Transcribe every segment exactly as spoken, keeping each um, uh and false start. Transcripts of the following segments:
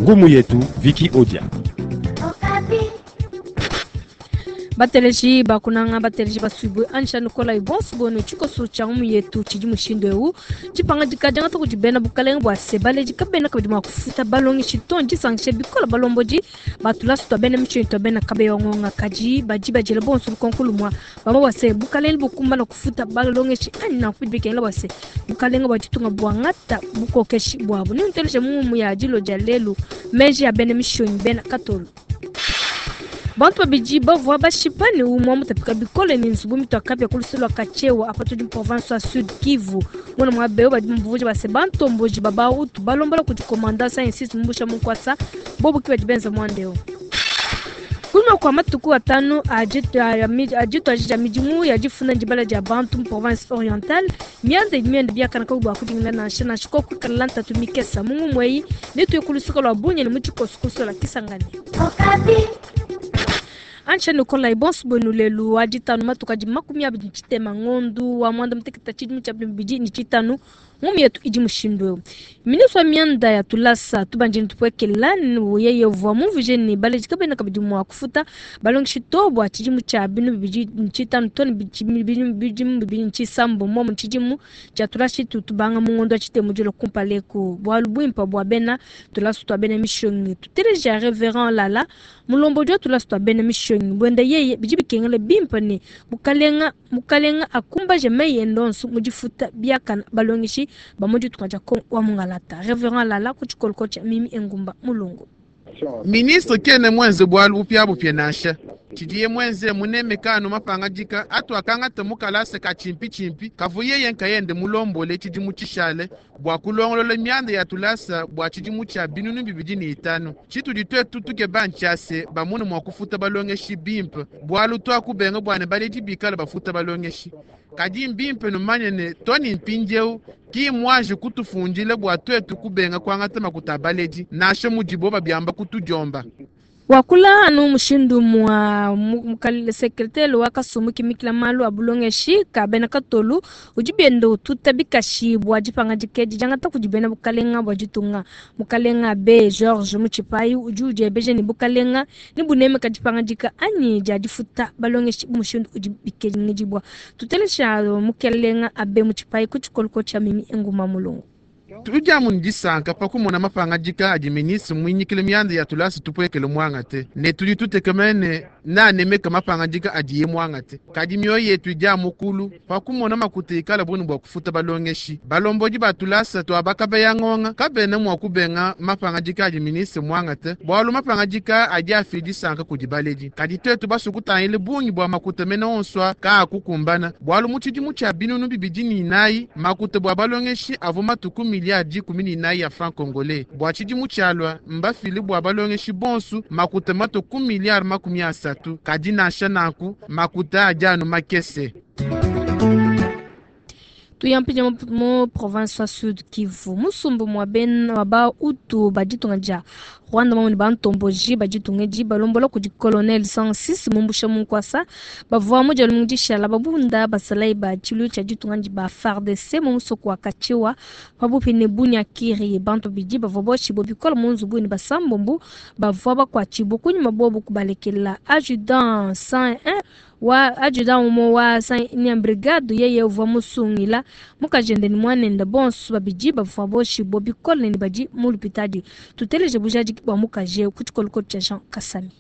Ngumu yetu Vicky Odia. Bateleji bakunanga bateleji basubwe ansha nukola ibonso bono tshikoso tshia ngumu yetu tshidi mushindu eu tshipangadika diangata kudi bena bukalenge bua se baleji kabena kabidi mua kufuta balongeshi to ndisangishe bikola balombodi batulasu tua bena mishonyi tua bena kabeya ngonga kadi badi badiela bonso lukonko lumua bamba bua se bukalenge bukumbana kufuta balongeshi anyi nanku bidi bikengela bua se bukalenge bua ditunga buangata bukokeshi buabu ni nteleje ngumu ya dilo dia lelu meji ya bena mishonyi bena katolo. Bantu babidi bavua bashipa ne umwe mutapika bikole ne nzubu mitwaka bya kulusulwa kachewa apa tudi mu province ya Sud Kivu mwana mwa beo badi mvuja base bantomboji baba utu balombola kudi komanda sciences mumbusha mukwasa bobo kiba benza mwandeo. Kunyuma kwa matuku atano ajitu ajija midimu ya jifuna njibala ja bantu mu province orientale mianda mianda biakana kabwa kudingila nansha nansha ko kukalanta tumikesa mungu mweyi netu yekulusuka lwa bunye ne muchikosukuso la Kisangani. Ancha nukola ibonso bwenu lelu aditanu matuka di makumi abidi chitema ngondu wa mwanda mteketa chidimu cha bidi ni chitanu ngumu yetu idi mushindu eu. Ministre wa mianda ya tulasa tubanjini tupwekela yeye vwa muvuje ni baleji kabena kabidi mwa kufuta balongeshi to bwa chidimu cha binu bidi chitanu toni binu bidi bidi chisambo mo chidimu cha tulasi tutubanga mu ngondo chitemu jolo kumpaleko bwa lubwimpa bwa bena tulasa twa bena mishongi tuteleja reverend Lala mulombo jwa tulasa twa bena mishongi bwenda yeye bidi bikengele bimpa ne mukalenga mukalenga akumbaje meye ndonso mujifuta biakana balongeshi bamoji tukaja ko wa mungalata reverend Lala kuchikolko cha mimi engumba mulungu. Ministre kene mwenze bwalu upya bupya nansha chidiye mwenze muneme kanu mapanga jika atu akanga temukalase ka chimpi chimpi kavuye yenka yende mulombole chidimu chishale bwa kulongolola myanda ya tulasa bwa chidimu cha binunu bibidi ni itanu chitudi twetu tuke banchase bamune mwa kufuta balongeshi bimpe bwalu twakubenga bwane baledi bikala bafuta balongeshi kadi mbimpe numanyene toni mpinjeu ki mwaje kutufundile bwa twetu kubenga kwangata makuta baledi nashe mujibo babyamba kutujomba. Wakula anu mushindu mwa mukal sekretele wa kasumu kimikila malu abulongeshi kabena katolu ujibiendo tutabikashi bwa jipanga jikeji jangata kujibena bukalenga bwa jitunga mukalenga be George Muchipai ujuje beje ni bukalenga ni buneme kajipanga jika anyi jajifuta balongeshi mushindu ujibikeji ngijibwa tutelesha mukalenga abe Muchipai kuchikolko cha mimi enguma mulungu. Tuja mundisanka pakumona mapanga jika adi ministre mwinyikile myanda ya tulasi tupwekele mwangate ne tudi tutekemene na nemeka mapanga jika adiye mwangate kadi mioyo yetu ija mukulu pakumona makuta ikala bwenu bwa kufuta balongeshi balomboji ba tulasa twabaka ya ngonga kabena mwa kubenga mapanga jika adi ministre mwangate bwalu mapanga jika adi afidi sanka kudi baledi kadi twetu basukutangile bungi bwa makuta mena onswa ka kukumbana bwalu muchidimu cha binunu bibidi ni inayi makuta bwa balongeshi avu matuku miliardi kumi ni inayi ya franc congolais bwa chidimu chalwa mbafili bwa balongeshi bonsu makuta matuku miliardi makumi asatu kadi nansha nanku makuta ajanu makese. Tuyampija mo province wa Sud Kivu musumbu mwa ben waba utu baditunga ja Rwanda mamoni bantomboji baditunga ji balombola kudi colonel cent six mumbusha munkwasa bavua moja lumundisha la babunda basalai ba chilu cha ditunga ji ba F A R D C mu musoko wa Kachiwa pabupi ne bunya kiri bantu bidi bavua boshi bobikola munzubu ni basambombu bavua bakwa chibuku nyuma bobu kubalekela adjudant cent un wa adjudant umo wa cent brigade yeye uvua musungila mukajende ni mwanenda bonso babidi bavua boshi bobikola ni baji mulupitadi tuteleje bujaji bwa mukaje kuchikoluko cha Jean Kasami.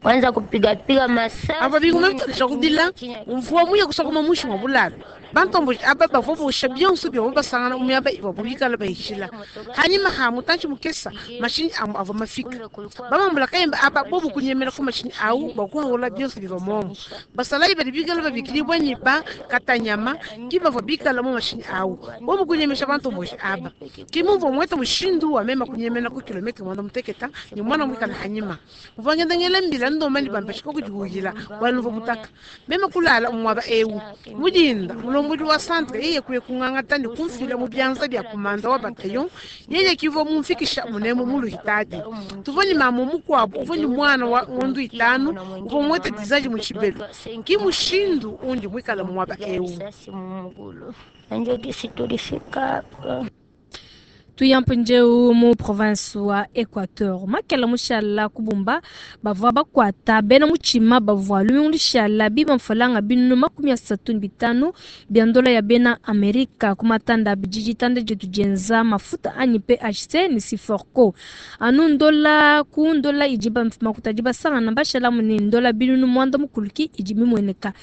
Kwanza kupiga piga masasi aba bigume kudila mvua muye kusakuma mushi wa bulala bantombo aba bavua bosha byonso byo basangana umyaba ibabubikala bayishila hanyuma ha mutanchi mukesa mashini amu ava mafika bamambula kayemba aba bobu kunyemera ku mashini au bakuhawula byonso biva momo basalayi bali bikala babikilibwa ni ba katanyama kibava bikala mu mashini au bobu kunyemesha bantombo aba kimumva mweta mushindu wa mema kunyemera ku kilometre mwana muteketa ni mwana mwikala hanyuma muvangenda ngela mbila ndomani bambashika kujihujila wanuva butaka mema kulala umwaba ewu mujinda mulombodi wa centre yeye kuye kung'ang'ata ni kumfila mu byanza bya kumanda wa bataillon yeye kivo mumfikisha munemo muluhitadi tuvoni mama mukwabo uvoni mwana wa ngondu itanu uvo mwete dizaji muchibelo kimushindu undi mwikala mwaba ewu. Tuya mpindieu mu province wa Equateur. Makela mushala kubumba bavua bakuata bena mutshima bavua lumingu lushala biba mfalanga binunu makumi asatu ne bitanu bia ndola ya bena Amerika ku matanda abidi ditanda dietu dienza mafuta anyi P H C ne Siforco. Anu ndola ku ndola idi ba makuta adi basangana bashalamu ne ndola binunu mwanda mukuluki idi mimueneka.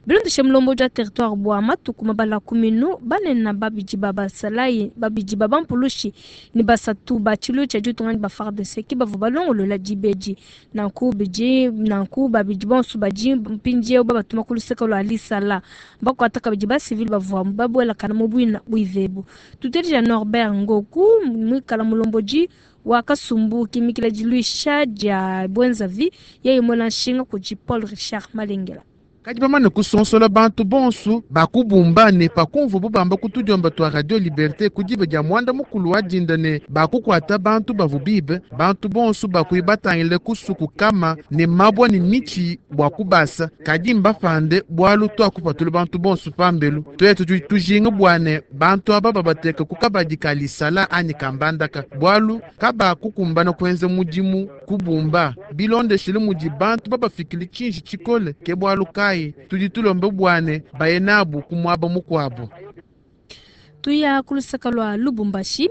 Bilondeshe mulombo dia territoire bua matuku mabala kuminu banene babidi ba basalayi babidi ba bampulushi ni basatu ba tshilu tshia ditunga ni ba F A R D C ki bavua balongolola dibedi. Nanku bidi, nanku babidi bonso badi mpindieu babatuma ku luseke lua Lisala. Bakuata kabidi ba civil bavua babuelakana mu buina buivebu. Tutelija Norbert Ngoku mwikala mulombodi wa kasumbu kimikila diluisha dia Bwenzavi yeye mwela nshinga kudi Paul Richard Malengela. Kadi bamane kusonsola bantu bonso bakubumba ne pakumvu bubamba kutudiomba twa Radio Liberté kudibe dia mwanda mukulu wa dinda ne bakukwata bantu bavubibe bantu bonso bakuibatangile kusuku kama ne mabwa ne michi bwa kubasa kadi mbafande bwalu twakupatula bantu bonso pambelu twetu tu-, tujinga bwane bantu aba babateka kukabadi kalisala anyi kambandaka bwalu kaba kukumbana kwenza mudimu kubumba bilondeshile mudi bantu babafikile chinji chikole ke bwalu kai tudi tulombe bwane bayenabu kumwaba mukwabo. Tuya kulusaka lwa Lubumbashi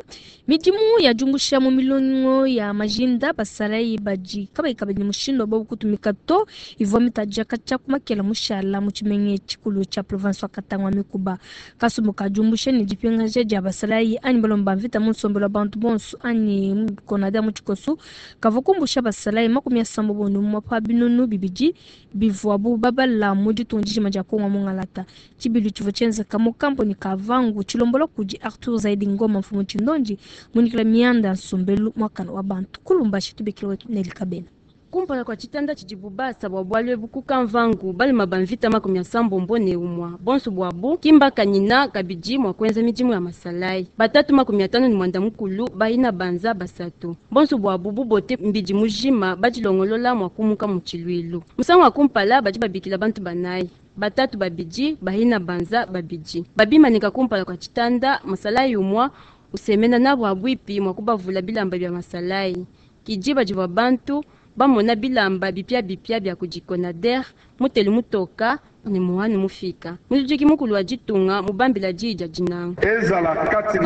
midimu ya jumbusha mu milongo ya majinda basalayi baji kabayi kabidi mushindo bobu kutumika to ivua mitaja kacha kumakela mushala mu tshimenga tshikulu tshia province wa Katanga mikuba kasumbu ka jumbusha ne dipingaja dia basalayi anyi balomba mvita mu nsombelo wa bantu bonso anyi konada mu tshikosu kavua kumbusha basalayi makumi asambo bonu mu pa binunu bibidi bivuabu babala mu ditunga dijima dia Kongo mu Ngalata. Tshibilu tshivua tshienzeka mu kamponi ka Vangu tshilombola kudi Arthur Zaidi Ngoma mfumu Tshindonji munikila mianda nsombelu mwakana wa bantu kulumbashi tubikile wetu Neli Kabena. Kumpala kwa chitanda chidibubasa bwa bwalwe bukuka mvangu balima bamvita makumi asambombo ne umwa bonso bwabu kimba kanyina kabidi mwa kwenza midimu ya masalai batatu makumi atano ni mwanda mukulu baina banza basatu bonso bwabu bubote mbidi mujima badilongolola mwa kumuka mu tshilwilu musangu wa kumpala badi babikila bantu banayi batatu babidi bahina banza babidi babimanika kumpala kwa chitanda masalai umwa usemena nabo abwipi mwa kubavula bilamba bya masalai kijiba jibwa bantu bamona bilamba bipya bipya bya kujikonader muteli mutoka ni muhani mufika mulujiki mukulu wa ditunga mubambila dija dinanga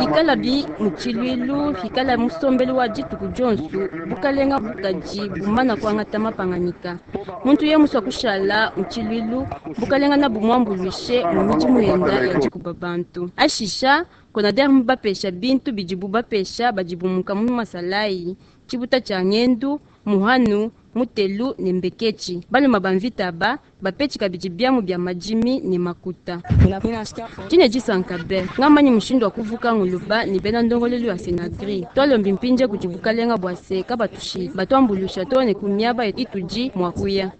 ikala bi mutshilwilu ikala musombelu wa dituku dionsu bukalenga bukaji bumana kuangata mapanganyika muntu ye muswa kushala mutshilwilu bukalenga na bumwambuluishe mu midimu yenda ya dikuba bantu ashisha konader mubapesha bintu bidibu bapesha badibumuka mu masalayi tshibuta tshia ngendu muhanu mutelu ne mbekechi baluma bamvita ba bapechi kabidi byamu bya majimi ne makuta tine disanka be ngamanyi mushindu wa kuvuka nguluba ne bena ndongolelu ya senagri twalombi mpinje kudi bukalenga bwa se kabatushi batwambulusha to ne kumiaba itudi mwa kuya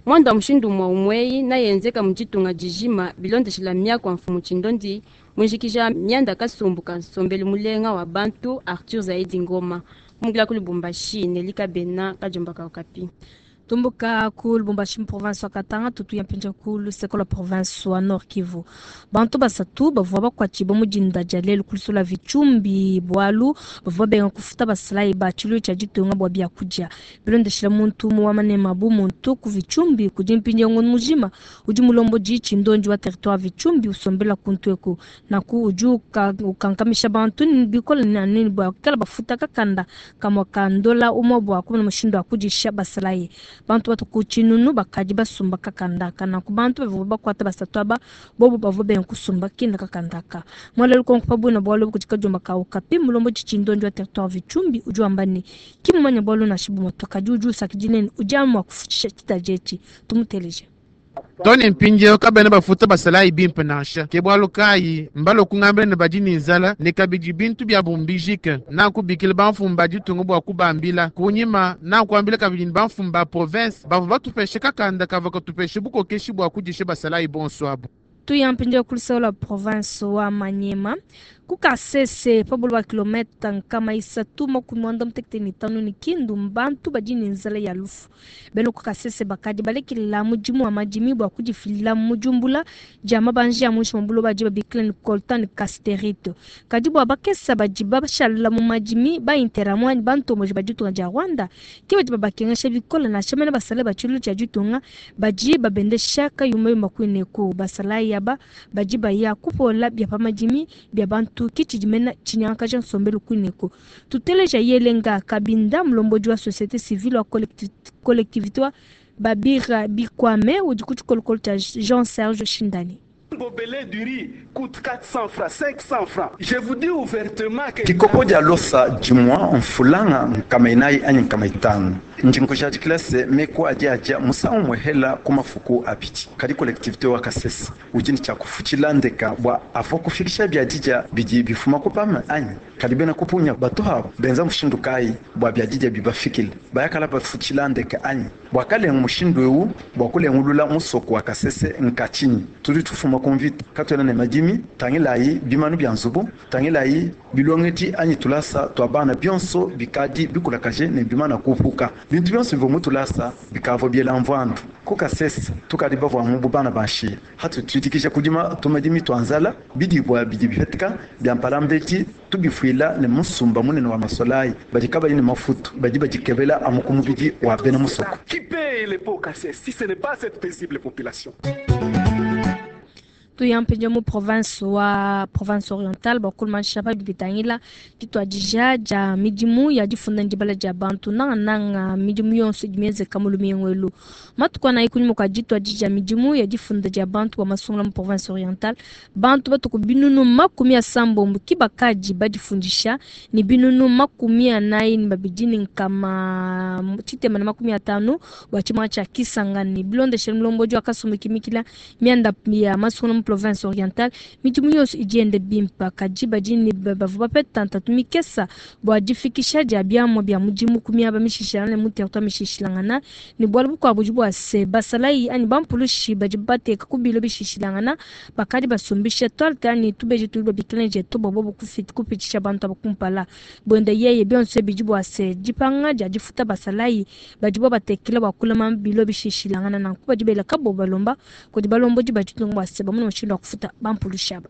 mwanda mushindu mwa umweyi nayenzeka muditunga dijima bilondeshela miako mfumu tshindondi mwijikija myanda kasumbu ka nsombelu mulenga wa bantu Arthur Zaidi Ngoma mungila ku Lubumbashi Nelika Bena kajomba ka Okapi. Tumbuka ku Lubumbashi mu province wa Katanga tutu ya mpinja ku luseko la province wa Nord Kivu. Bantu basatu bavua bakwatshibwa mu dinda dia lelu ku lusolo lua Vitshumbi bwalu bavua benga kufuta basalayi ba tshilu tshia ditunga bua biakudia. Bilondeshela muntu mu wa manema bu muntu ku Vitshumbi kudi mpinja ngono mujima udi mulombodi tshindonji wa territoire Vitshumbi usombela kuntu eku. Naku udi uka-, ukankamisha bantu ni bikola ni nini bua kala bafuta kakanda kamwa kandola umwe bua kumona mushindu wa kudisha basalayi. Bantu batu ku tshinunu bakadi basumba kakandaka na ku bantu bavua bakuata basatu aba bobo bavua benga kusumba kinda kakandaka. Mwalelu konko pabuna bwalu kudi kajomba ka Okapi mulombo tshindonji wa territoire Vitshumbi udi wamba ne kimumanya bwalu na shibu moto kadi udi usakidinene udi amua kufutshisha tshitajetshi tumuteleje. Tony mpindieu kabena bafuta basalayi bimpe nansha ke bwalu kayi mbalo kungambila ne badi ne nzala ne kabidi bintu bya bumbijike nakubikila bamfumu ba ditunga bua kubambila kunyima nakuambila kabidi ne bamfumu ba province bavua batupeshe kakanda kavua katupeshe bukokeshi bua kudisha basalayi bonso abu. Tuyampindia kulisaula province wa Manyema kukasese pabulu ba kilometa nkama isatu makumi mwanda mutekete ni tano ni kindu mbantu badi ni nzala ya lufu beno kukasese bakadi balekela mudimu wa madimi bua kudifilila mujumbula dia mabanji ya muinshi mwa buloba adi babikila ni coltan ni casterite kadi bua bakesa badi bashala mu madimi ba interahamwe anyi bantomboji ba ditunga dia Rwanda ke badi babakengesha bikole nansha mene basale ba tshiluilu tshia ditunga badi babendesha kayumayuma kuineku basalayi aba badi baya kupola bia pa madimi bia bantu kichidimena chinyakaja nsombelu kuineko tuteleja yelenga kabinda mlombodi wa société civile wa collectivité wa babira bikwame udi ku tshikolokolo tshia Jean Serge Shindani. Gobelet du riz coûte quatre cents francs, cinq cents francs. Je vous dis ouvertement que Kikopo dia losa jimwa mfulanga nkama inayi anyi nkama itanu njinkuja diklase meko adi adia musangu mwehela ku mafuku abidi kadi collectivité wa Kasese udi tshia kufuchila ndeka bua avo kufikisha bia dija bidi bifuma kupama anyi kadi bena kupunya batu habo benza mushindu kayi bua bia dija bibafikile bayakala bafuchila ndeka anyi bua kalenga mushindu ewu bua kulengulula musoko wa Kasese nkachinyi tudi tufuma kumvita katwena ne madimi tangilayi bimanu bya nzubu tangilayi bilongeti anyi tulasa twa bana byonso bikadi bikulakaje ne bimana kupuka bintu byonso bivua mutulasa bikavua biela mvandu ku Kasese tukadi bavua mu bana banshi hatu tuitikisha kudima tumadimi twa nzala bidibwa bidi bipetika bya mpalambeti tubifuila ne musumba munene wa masolayi badi kabali ne mafutu badi badikebela amuku mubidi wa bena musoko. Qui paye les pots cassés si ce n'est pas cette paisible population? Tuyampenja mu province wa province orientale bakuluma shapa bitangila ditwadija dia midimu ya difunda ndibala dia bantu nangananga midimu yonso idi mienzeka mu lumingu elu matuku anayi kunyima kua ditwadija midimu ya difunda dia bantu bua masungula mu province orientale bantu batuku binunu makumi asambombo ki bakadi badifundisha ni binunu makumi anayi ni babidi ni nkama tshitema na makumi atanu bua tshimanga tshia Kisangani bilondeshele mulombodi wa kasumbu kimikila mianda ya masungula mu province orientale midimu yonso idi yenda bimpa kadi badi ni bavua bapeta ntatu mikesa bua difikisha dia biamua bia mudimu ku miaba mishishilangana ne mu territoire mishishilangana ne bualu bukuabu budi bua se basalayi anyi bampulushi badi bateka ku bilo bishishilangana bakadi basumbisha toalte anyi tubeji tudi babikila ne jeto bua bobu kupitshisha bantu aba kumpala buenda yeye bionso bidi bua se dipanga dia difuta basalayi badi bo batekela bua kulama bilo bishishilangana nanku badi bela kabo balomba kudi balombodi baditunga bua se bamuna mushindu wa kufuta bampulushi aba.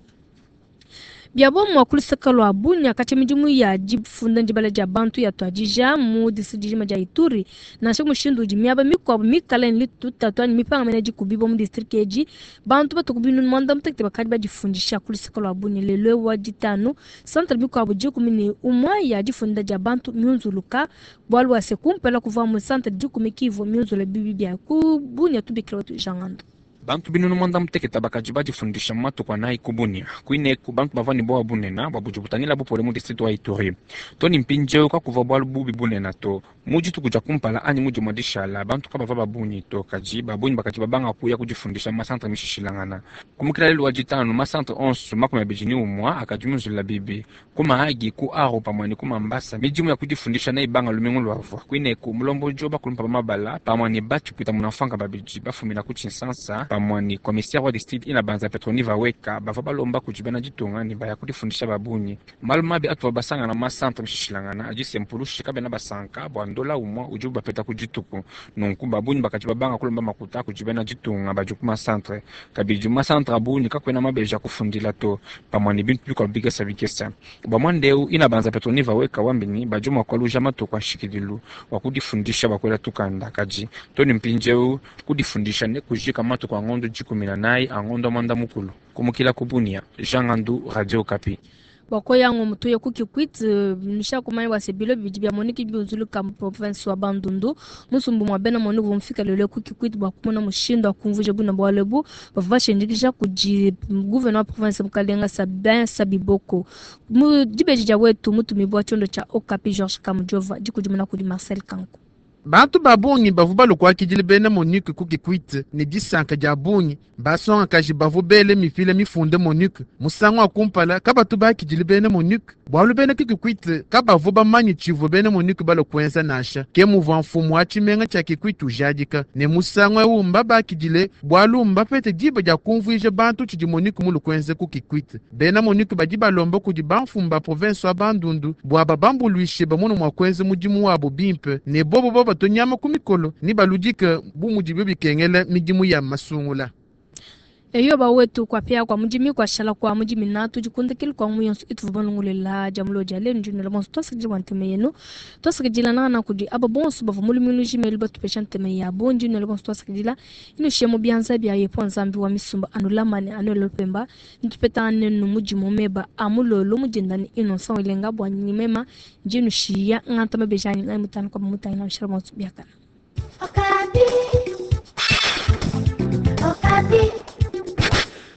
Biabo mwa kulusaka lwa Bunia kati midimu ya difunda ndibala dia bantu ya twadija mu district dia Ituri nansha mushindu udi miaba mikuabu mikale ni tutatu anyi mipanga mene dikubibo mu district edi bantu batuku binunu mwanda mutekete bakadi badifundisha kulusaka lwa Bunia lelo wa ditanu centre mikuabu dikumi ne umwa ya difunda dia bantu miunzuluka bualu bua se kumpela kuva mu centre dikumi kivu miunzula bibi bia ku Bunia tubikila watu jangando. Bantu binunu mwanda muteketa bakaji badifundisha mu matuku anayi ku Bunia kuineku bantu bavua ne bowa bunena bua budi butangila bupole mu district wa Ituri to ni mpindieu kakuvua bualu bubi bunena to mu dituku dia kumpala anyi mu dimua dishala bantu kabavua babunyi to kadi babunyi bakaji babanga kuya kudifundisha mu masantre mishishilangana kumukila lelu wa ditanu masantre onso makumi abidi ni umua akadi munzulula bibi ku Mahagi ku Aro pamue ne ku Mambasa midimu ya kudifundisha neibanga lumingu luavua kuineku mulombodi bakulumpa ba mabala pamue ne batshipwita munamfanga babidi bafumina ku Tshinsansa pamue ne commissaire wa district ina banza Petroni Vaweka bavua balomba kudi bena ditunga ne baya kudifundisha babunyi malu mabi atuvua basangana mu masantre mishishilangana adi se mpulushi kabena basanka bua ndola umua udi bapeta ku dituku nunku babunyi bakadi babanga kulomba makuta kudi bena ditunga badi ku masantre kabidi masantre abunyi kakuena mabeji akufundila to pamue ne bintu bikuabu bikesa bikesa bua muanda ina banza Petroni Vaweka wambini badi mua kualuja matuku a nshikidilu wa kudifundisha bakuela tukanda kadi to ni mpindieu kudifundisha ne kujika matuku a ngondo dikumi na nayi a ngondo mwanda mukulu kumukila ku Bunia Jean Ngandu Radio Okapi. Bakoyango mutuye ku Kikwit nusha kumanya bua se bilo bibidi bia Monique biunzuluka mu province wa Bandundu musumbu mwa bena Monique vumfika lelo ku Kikwit bua kumona mushindu wa kumvuja buna bualu ebu bavua bashendikisha kudi gouverneur wa province Mukalenga Sabin Sabiboko mu dibeji dia wetu mutumibua tshiondo tshia Okapi Georges Kamujova dikudimuna kudi Marcel Kanku. Bantu ba bungi bavua balue kuakidila bena MONUC ku Kikwit ne disanka dia bungi. Bansongakaji bavua bele mipila mifunde MONUC musangu wa kumpala kabatu bakidile bena MONUC bualu bena Kikwit kabavua bamanye tshivua bena MONUC balue kuenza nansha. Ke muvua mfumu wa tshimenga tshia Kikwit ujadika ne musangu eu mbabakidile bualu mbapete diba dia kumvuija bantu tshidi MONUC mulue kuenza ku Kikwit. Bena MONUC badi balomba kudi bamfumu ba province wa Bandundu bua babambuluishe bamone mua kuenza mudimu wabo bimpe ne bobo babato nyama ku mikolo ni baludike bu mudibo bikengela midimu ya masungula. Eyo bawetu kwapia kwa mudimi kwashala kwa mudimi na tudikundikile kwa muyonso ituvua balongolela dia mulo dia lelu ndinela bonso twasakidila bua ntema yenu, twasakidila nangana kudi aba bonso bavua mulimi lujimelu batupesha ntema yabo. Ndinela bonso twasakidila inushiye mu bianza bia yepo Nzambi wa misumba anulamane anuele lupemba ntupetangane nenu mudimu meba a mulolo mudindani ino nsango ilenga bua nyimema ndinushiya nganta mabejanyi ngai mutano kwa mutangina mshara bonso biakana. Okapi. Okapi.